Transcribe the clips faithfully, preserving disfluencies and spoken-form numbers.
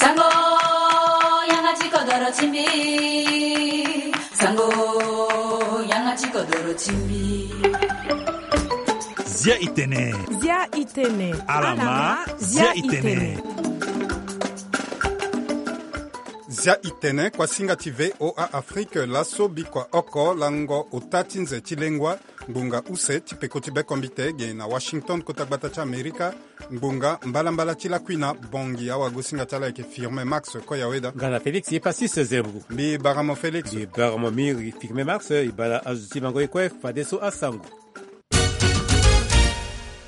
Sango, yanga ti kodoro ti mbi. Sango, yanga ti kodoro ti mbi. Zia itene. Zia itene. Alama, zia itene. Zia itene, kuasinga ti V O A Afrique, laso bikua oko lango ota ti nze ti lengua, ngbonga use ti peko ti bekombite ge na Washington, kota gbata ti Amerika, ngbonga mbalambala ti lakui na bongi. Awagosinga ti ala ayeke Firmin Max Koyaweda. Nga na Félix ye Passis Zembu. Mbi bara mo Félix. Mbi bara mo miri Firmin Max, e bara azo ti mango ye kue fadeso asango.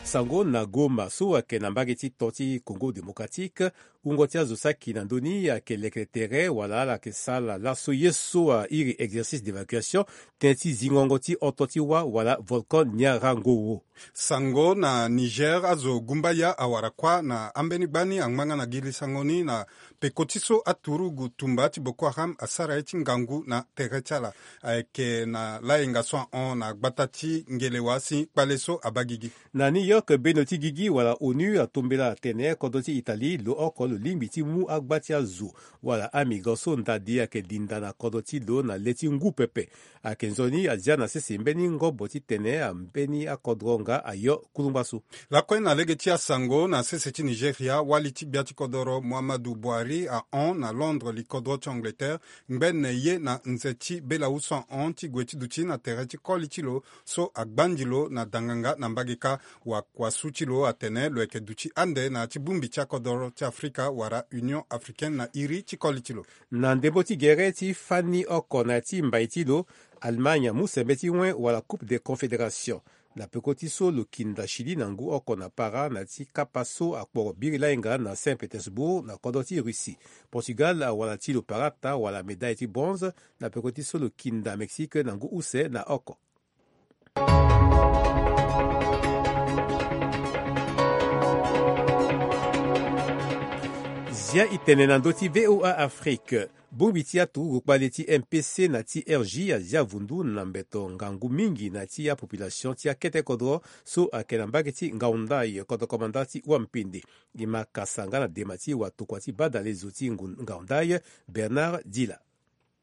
Sango na Goma so ayeke na mbage ti to ti Congo Démocratique, wungo ti azo saki na ndö ni ayeke leke tere wala ala yeke sara laso ye so airi exercice d'évacuation tënë ti zingongo ti oto ti wâ wala volcan Nyiragongo. Sango na Niger, azo gumbaya awara kuâ na ambeni gbani angba nga na giri sango ni na peko ti so aturugu tumba ti Boko Haram asara ye ti ngangu na tere ti ala. Ayeke na layenga so ahon na gbata ti Ngelewa si kpale so abaa gigi. Na New York, bendo ti gigi wala onu atombela atene kodro ti Italie lo oko lo lingbi ti mu agba ti azo wala amigrant so ndadi ayeke dinda na kodro ti lo na le ti ngu pepe. Ayeke nzoni azia na sese mbeni ngobo titene ambeni akodro nga ayo kulungba so. Lakue na lege ti asango, na sese ti Nigeria, wali ti gbia ti kodoro Muhammadu Buhari ahon na Londres, likodro ti Angleterre, ngbene ye na nze ti bela wu so ahon ti gue ti duti na tere ti koli ti lo so agbandi lo na danganga na mbage kâ. Wakuasu ti lo atene lo yeke duti ande na ya ti bongbi ti akodoro ti Afrika wala Union Africaine na iri ti koli ti lo. Na ndembo ti gere ti fani oko na ya ti mbai ti lo, Allemagne amu sembe ti wen wala Coupe des Confédérations. Na peko ti so lo kinda Chili na ngu oko na para na ya ti kapa so akporo biri lainga na Saint-Pétersbourg na kodro ti Russie. Portugal awara ti lo parata wala médaille ti bronze na peko ti so lo kinda Mexique na ngu use na oko. Zia itene na ndö ti V O A Afrique. Bongbi ti aturugu kpale ti M P C na ti R G azia vundu na mbeto ngangu mingi na ti apopulation ti akete kodro so ayeke na mbage ti Ngaundai, kodro komanda ti Wampende. E ma kasa nga na dema ti watokua ti badale zo ti ngu-, Ngaundai, Bernard Dila.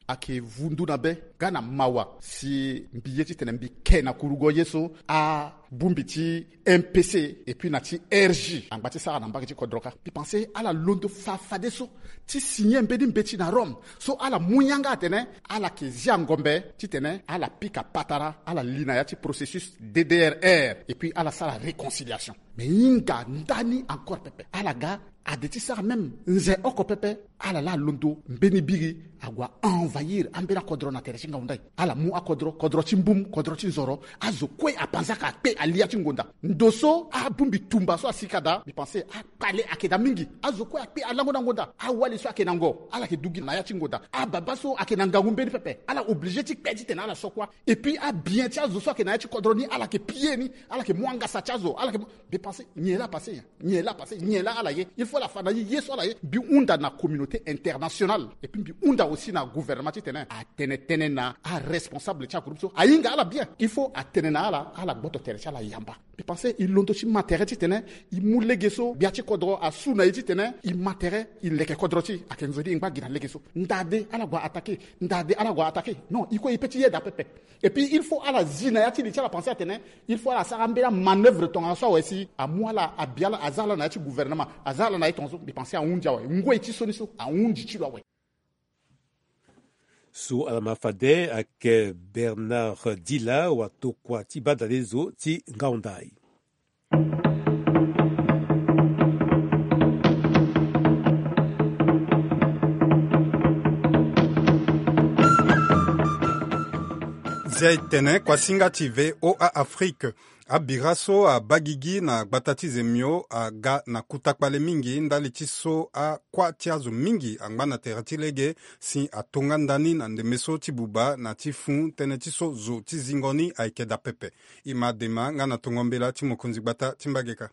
Ayeke vundu na be nga na mawa si mbi ye titene mbi ke na kurugo ye so abongbi ti M P C et puis na ti R G angba ti sara na mbage ti kodro kâ. Mbi pense ala londo fa fadeso ti signer mbeni mbeti na Rome so ala mu yanga atene ala yeke zia ngombe titene ala pika patara, ala li na ya ti processus D D R R et puis ala sara réconciliation. Mais hinga ndani encore pepe ala ga ade ti sara même nze oko pepe, ala laa londo mbeni biri ague a envahir ambeni akodro na tere ti Ngaundai. Ala mu akodro, kodro ti Mbum, kodro ti Nzoro, azo kue apanzaka akpe alia ti ngonda. Ndo so abongbi tumba so asika daa, mbi pense akpale ayeke daa mingi. Azo kue akpe alango na ngonda. Awali so ayeke na ngo, ala yeke du gi na ya ti ngonda. Ababa so ayeke na ngangu mbeni pepe, ala oblige ti kpe titene ala so kuâ. Et puis abien ti azo so ayeke na ya ti kodro ni, ala yeke piller ni, ala yeke mu angasa ti azo, ala yeke mu, mbi pense nyen laa apasse nyen. Nyen laa apasse, nyen laa ala ye. Il faut ala fa na ye ye so ala ye. Mbi hunda na communauté internationale et puis mbi hunda aussi na gouvernement titene atene tënë na aresponsable ti agroupe so ahinga ala bien. Il faut atene na ala, ala gboto tere ti ala yamba. Mbi pense e londo ti ma tere titene e mu lege so gbia ti kodro asu na e titene e ma tere e leke kodro ti e. Ayeke nzoni e ngba gi na lege so. Ndade ala gue attaquer, ndade ala gue attaquer. Non, e kue e pe ti yeda pepe. Et puis il faut ala zi na ya ti li ti ala pense atene il faut ala sara ambeni amanœuvre tongana so awe si amu ala abi ala, aza ala na ya ti gouvernement, aza ala na ye tongaso. Mbi pense ahundi awe. Ngoi ti so ni so ahundi ti lo awe. So ala ma fade ayeke Bernard Dila, watokua ti badale zo ti Ngaundai. Zia e tene kuasinga ti V O A Afrique. Abira so abaa gigi na gbata ti Zemio aga na kuta kpale mingi ndali ti so akuâ ti azo mingi angba na tere ti lege si atonga ndani na ndembe so ti buba na ti fû tënë ti so zo ti zingo ni ayeke daa pepe. E ma dema nga na tongo mbela ti mokonzi gbata ti mbage kâ.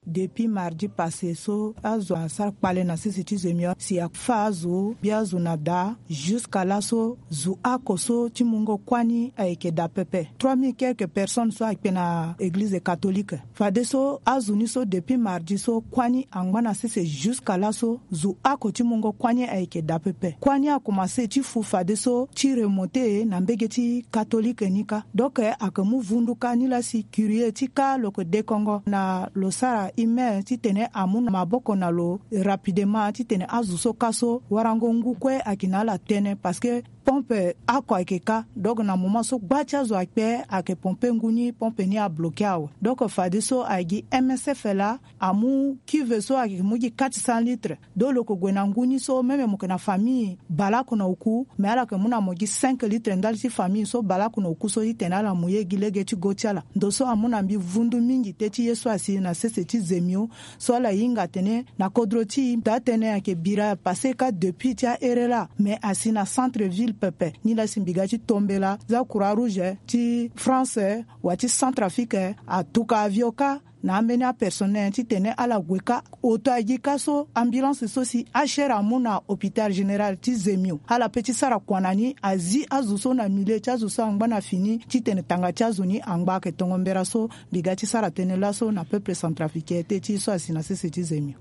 Depuis mardi passé so azo asara kpale na sese ti zemio si afa azo bi azo na daa. Jusqu'à laso zo oko so ti mungo kuani ayeke daa pepe. Trois mille quelques personnes so akpe na église catholique. Fadeso azo ni so depuis mardi so kuani angba na sese jusqu'à laso zo oko ti mungo kuani ayeke daa pepe. Kuani akomanse ti fu fadeso ti remonte na mbege ti catholique ni kâ. Donc ayeke mu vundu kâ ni laa si curieux ti kâ lo yeke dekongo na lo sara email titene amu na maboko na lo rapidement titene azo so kâ so warango ngu kue ayeke na ala tënë parce que pompe oko ayeke kâ. Donc na moment so gba ti azo akpe ayeke pompe ngu ni, pompe ni abloke awe. Donc fadeso ayeke gi M S F laa amu cuve so ayeke mu gi quatre cents litres. Donc lo yeke gue na ngu ni so même mo yeke na famille baleoko na oku, mais ala yeke mu na mo gi cinq litres ndali ti famille so baleoko na oku so titene ala mu ye gi lege ti go ti ala. Ndo so amu na mbi vundu mingi te ti ye so asi na sese ti zemio so ala hinga atene na kodro ti e daa tënë ayeke bira passé kâ depuis ti ahere laa, mais asi na centre ville pepe. Nilaa si mbi ga ti tombela za Croix Rouge ti France wa ti Centrafrique atuka avion kâ na ambeni apersonnel titene ala gue kâ. Oto agi kâ so ambulance so si H R amu na hôpital général ti zemio ala pe ti sara kua na ni azi azo so na milieu ti azo so angba na fini titene tanga ti azo ni angba. Ayeke tongo mbera so mbi ga ti sara tënë laso na peuple centrafricain te ti so asi na sese ti zemio.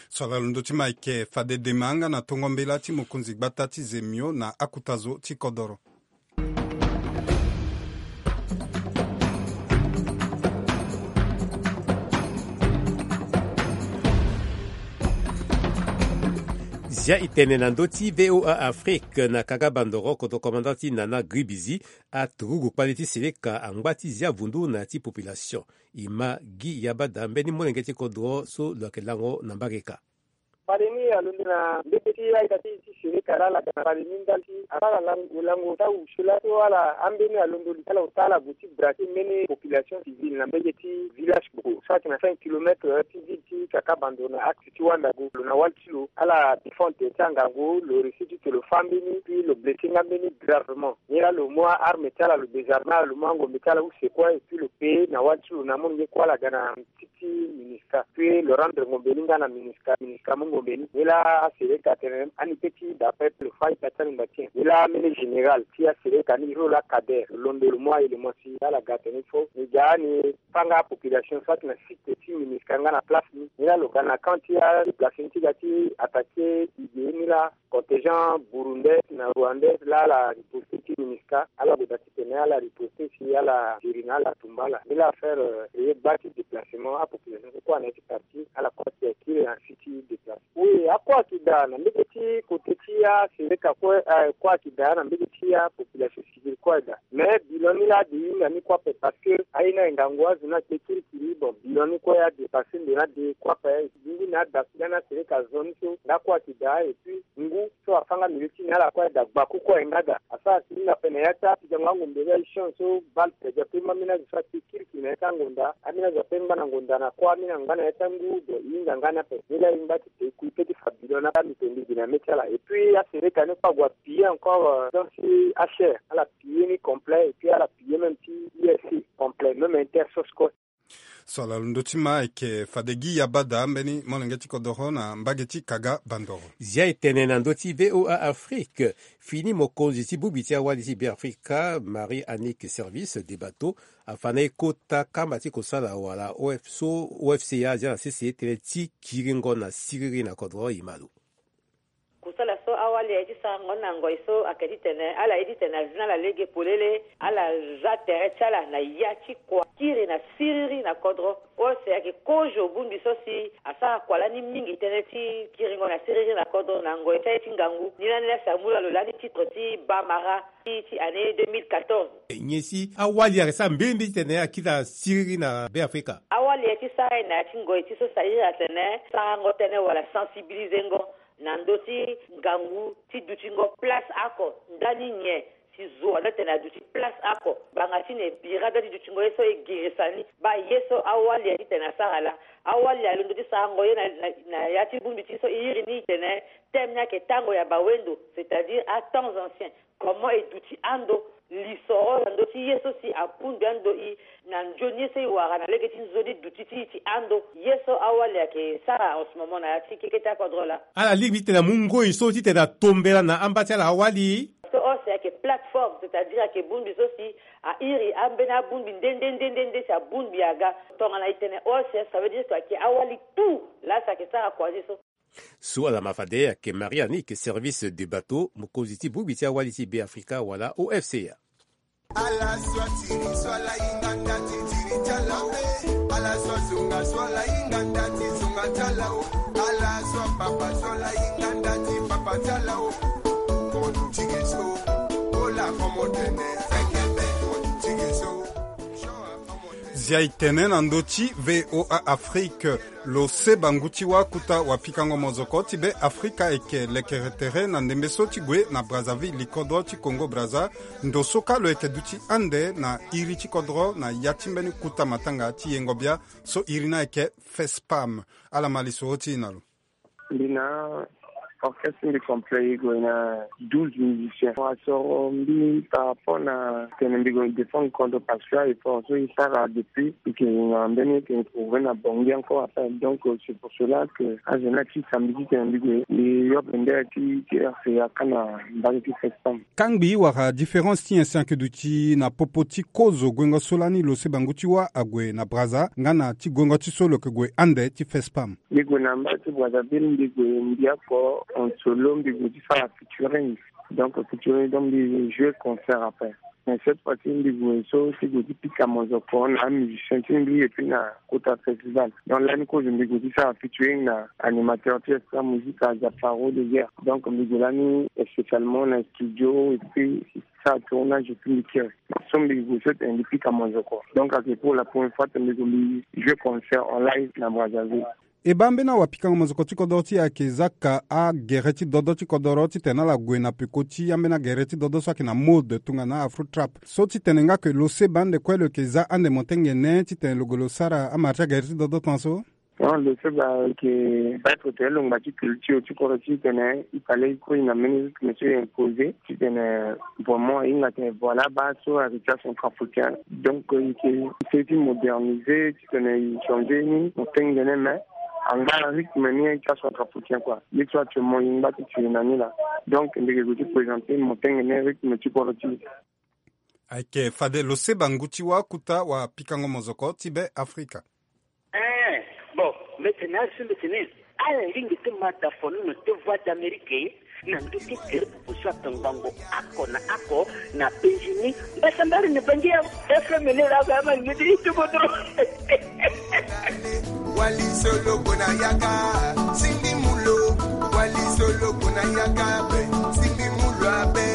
So ala londo ti ma ayeke fade dema nga na tongo mbela ti mokonzi gbata ti zemio na akuta zo ti kodoro. Zia e tene na ndö ti V O A Afrique na kanga bandoro kodro commandant ti Nana Gribizi. Aturugu kpale ti seleka angba ti zia vundu na ya ti population. E ma Guy Yabada mbeni molenge ti kodro so lo yeke lango na mbage ka. Kpale ni alondo na mbege ti aita ti ti seleka laa ala ga na kpale ni ndali ti asara lango lango ti awusu laa so ala ambeni alondo li ti ala ota ala gue ti braquer mbeni population civile na mbege ti village gboko so ayeke na cinq kilomètres ti ville ti Kakabando na axe ti Wandago. Lo na wali ti lo ala défendre ti angangu, lo réussi ti tene lo fâ mbeni puis lo blessé nga mbeni gravement. Nilaa lo mu aarme ti ala lo désarmer ala, lo mu angombe ti ala use kue et puis lo pe na wali ti lo na amolenge kue ala ga na ti MINUSCA. Puis lo rendre ngombe ni nga na MINUSCA, MINUSCA mu ngombe ni. Nilaa aseleka atene ani pe ti daa pepe, lo fâ ita ti angba ti nyen. Nilaa amene général ti aseleka ni, lo laa Kader, lo londo lo mu a-élément ti ala ga atene il faut ni ga ni fâ nga apopulation so ayeke na site ti MINUSCA nga na place ni. Nilaa lo ga na camp ti adéplacé ni ti ga ti attaquer idée nilaa contingent burundais na rwandais laa ala riposter ti MINUSCA. Ala gue daa titene ala riposter si ala ziri na ala tumba ala. Nilaa affaire, eh, e ye gba ti déplacement apopulation so kue ayeke na ya ti quartier, ala kue ayeke kiri na site ti déplacement. Oui, akue ayeke daa na mbege ti côté ti aseleka kue, eh, kue ayeke daa na mbege ti apopulation civile kue ayeke daa. Mais bilan ni laa ade hinga ni kue ape parce que aye ni aye ngangu azo ni akpe kirikiri. Bon, bilan ni kue adépasser ndo ni ade kue ape. Ngu ni ada si lani aseleka zo ni so nga kue ayeke daa et puis ngu so afâ nga milieu ti ni ala kue ayeke daa gbaku kue aye nga daa. Asara si ni na pene ya ti apikango angombe ni aye champ so balle pe ape mu ambeni azo so akpe kirikiri na ya ti angonda. Ambeni azo ape ngba na ngonda na kue, ambeni angba na ya ti angu. Bon, e hinga nga ni ape. Ni laa e ngba ti te kui pe ti fa bilan ni ape, ami pe mbi gi na mê ti ala. Et puis aseleka ni kue ague apiller encore, euh, donc si H R ala piller ni complet et puis ala piller même ti U S C complet, même inter source kue. So ala londo ti ma ayeke fade Guy Yabada mbeni molenge ti kodoro na mbage ti Kaga Bandoro. Zia e tene na ndö ti V O A Afrique. Fini mokonzi ti bongbi ti awali ti Beafrika, Marie Annick Service de Bateau, afa na e kota kamba ti kosala wala O F so O F C A azia na sese tënë ti kiringo na siriri na kodro. E ma lo. Kusala so awali aye ti sarango na ngoi so ayeke titene ala ye titene azi na ala lege polele, ala za tere ti ala na ya ti kua kiri na siriri na kodro. O si ayeke kozo bongbi so si asara kua lani mingi tënë ti kiringo na siriri na kodro na ngoi ti aye ti ngangu. Ni lani laa si amu na lo lani titre ti bamara ti, ti année deux mille quatorze. Nyen si awali ayeke sara mbeni mbeni titene akiri na siriri na Beafrika? Awali aye ti sara ye na ya ti ngoi ti so si airi atene sarango tënë wala sensibilisengo na ndö ti ngangu ti dutingo place oko ndani nyen si zo wala tene aduti place oko. Ngbanga ti nyen e bira be ti dutingo ye so e girisa ni? Baa ye so awali aye titene asara laa. Awali alondo ti sarango ye na, na, na ya ti bongbi ti so e iri ni tene thème ni ayeke tango ya bawendo, c'est-à-dire à temps ancien. Comment e duti ando Lisoro na ndö ti ye so si abongbi ando i na nzoni ye so i wara na lege ti nzoni duti ti i ti ando. Ye so awali ayeke sara en ce moment na ya ti keke ti akodro laa. Ala lingbi titene amu ngoi so titene atombela na amba ti ala awali. So ose ayeke plateforme, c'est-à-dire ayeke bongbi so si a iri ambeni abongbi nde nde nde nde nde si abongbi aga. Tongana i tene ose, ça veut dire que ayeke awali tout laa si ayeke sara croiser so. So ala ma fade ayeke Marie Annick, service de bateau, mokonzi ti bongbi ti awali ti Be Afrika wala O F C A. Ala so atiri so ala hinga nda ti tiri ti ala o. Ala so azonga so ala hinga nda ti zonga ti ala o. Ala so apapa so ala hinga nda ti papa ti ala o. Komo tigi so, kola komo tene, fekebe komo tigi so. Zia e tene na ndö ti V O A Afrique. Lo seba ngu ti wâ kota wapikango mozoko ti Be Afrika ayeke lekere tere na ndembe so ti gue na Brazzaville, likodro ti Congo Brazza, ndo so kâ lo yeke duti ande na iri ti kodro na ya ti mbeni kota matanga ti yengo bia so iri ni ayeke FESPAM. Ala ma lisoro ti e na lo. Mbi na orchestre mbi complet, e gue na douze musiciens. Asoro mbi par rapport na tene mbi gue défendre contre parce que effort so e sara depuis e ke na mbeni e ke prouver na Bangui encore après. Donc c'est pour cela que azo ni ti samedi ti tene mbi gue mbi yope nde ti ti R C A kâ na mbage ti FESPAM. Kangbi wala différence ti nyen si ayeke duti na popo ti kozo guengo so lani lo seba ngu ti wâ ague na Brazza nga na ti guengo ti so lo yeke gue ande ti FESPAM? Mbi gue na mbage ti Brazzaville, mbi gue mbi oko en solo, mbi gue ti sara featuring. Donc featuring, donc mbi jouer concert après. Mais cette fois-ci mbi gue so ti gue ti pika mozoko na amusicien ti mbi et puis na kota festival. Donc lani kozo mbi gue ti sara featuring na animateur ti Extra Musique, Azaparo de Guerre. Donc mbi gue lani spécialement na studio et puis sara tournage et puis mbi kiri. So mbi gue so tene mbi pika mozoko. Donc ayeke pour la première fois tene mbi gue mbi jouer concert en live na Brazzaville. E baa mbeni awapikango mozoko ti kodro ti e ayeke zaka agere ti dodo ti kodro titene ala gue na peko ti ambeni agere ti dodo so ayeke na mode tongana afro trap. So titene nga ke lo seba ande kue lo yeke za ande motengene titene lo gue lo sara amara ti agere ti dodo tan so? Non, lo seba ayeke peut-être tene lo ngba ti culture ti kodro ti tene i fallait i kue i na mbeni rythme so i imposer titene vraiment ahinga tene voilà baa so ayeke ti acentrafricain. Donc i yeke essayer ti moderniser titene i changer ni motengene, mais angba rythme ni ayeke ti acentrafricain quoi. Ye so actuellement i ngba ti tene na ni laa. Donc mbi yeke gue ti présenter motengene rythme ti kodro ti. Ayeke fade lo seba ngu ti wâ kota wapikango mozoko ti Be Afrika. Eh, bon, mbi tene azo mbi tene ala lingbi ti ma da fonono ti Voix d'Amérique na ndö ti gere popo so atongbango oko na oko na Benjini mbasambari na Bangi ya F M ni laa ba ama lingbi ti ti kodro. Wali solo kona yaka, sindi mulo. Wali solo kona yaka be, sindi mulo abe.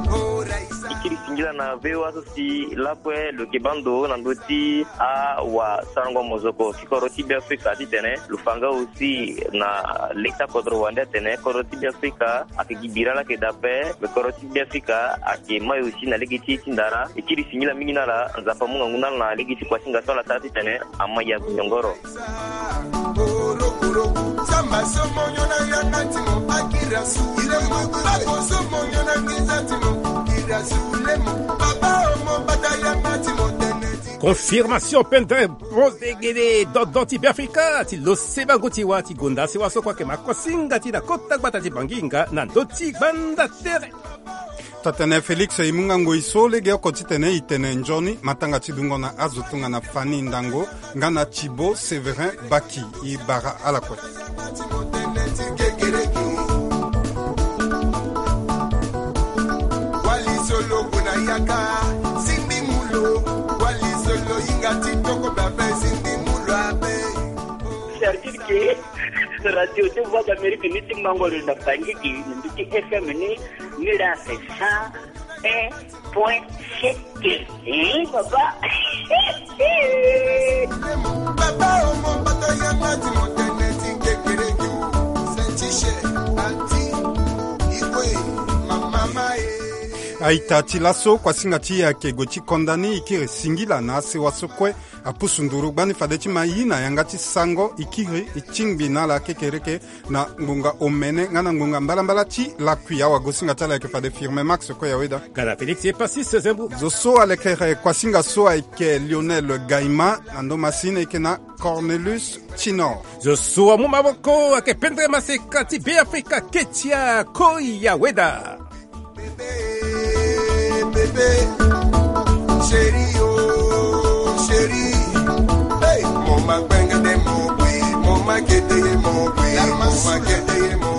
Ora isa. I kiri singila na V O A so si lakue lo yeke baa ndo na ndö ti awasarango mozoko ti kodro ti Be Afrika titene lo fa nga aussi na lege ti akodro wande atene kodro ti Be Afrika ayeke gi bira laa ayeke daa ape, me kodro ti Be Afrika ayeke mai aussi na lege ti ye ti ndara. E kiri singila mingi na ala, Nzapa amu ngangu na ala na lege ti kua ti hinga so ala sara titene ama ya gue nyongoro. Confirmation pendant Rose Degede, dodo ti Be Afrika, ti lo seba ngu ti wâ ti gonda sewa so kue ayeke ma kosinga ti na kota gbata ti Bangi nga na ndö ti gbanda tere. Tatene Félix e mu nga ngoi so legeoko titene e tene nzoni matanga ti dungo na azo tongana Fanny Ndango nga na Thibaut Séverin Baki. E bara ala kue. C'est-à-dire que radio ti Voix d'Amérique ni ti mango lo na Bangi gi na ndö ti F M ni, ni la c'est cent un point sept. Hein, papa? Papa, oh mon papa, yanga ti motene ti kekereke. Sentiche, ati, ikwe, mama, eh. Aita ti laso kuasinga ti e ayeke gue ti konda ni. E kiri singila na asewa so kue apusu nduru gbani fade ti ma yi na yanga ti sango. E kiri e tingbi na ala kekereke na ngbonga omene nga na ngbonga mbalambala ti lakui. Awagosinga ti ala ayeke fade Firme Max Koyaweda. Gala Félix et Passis Zembo. Zo so alekere kuasinga so ayeke Lionel Gaima, na ndo masini eke na Cornelius Tinor. Zo so amu maboko ayeke Pendre Maseka ti Beafrika Ketia Koyaweda. Bébé, bébé, chéri, oh, chéri. Hey, mo ma gbengede mo gbe, mo ma gede mo gbe, mo ma gede mo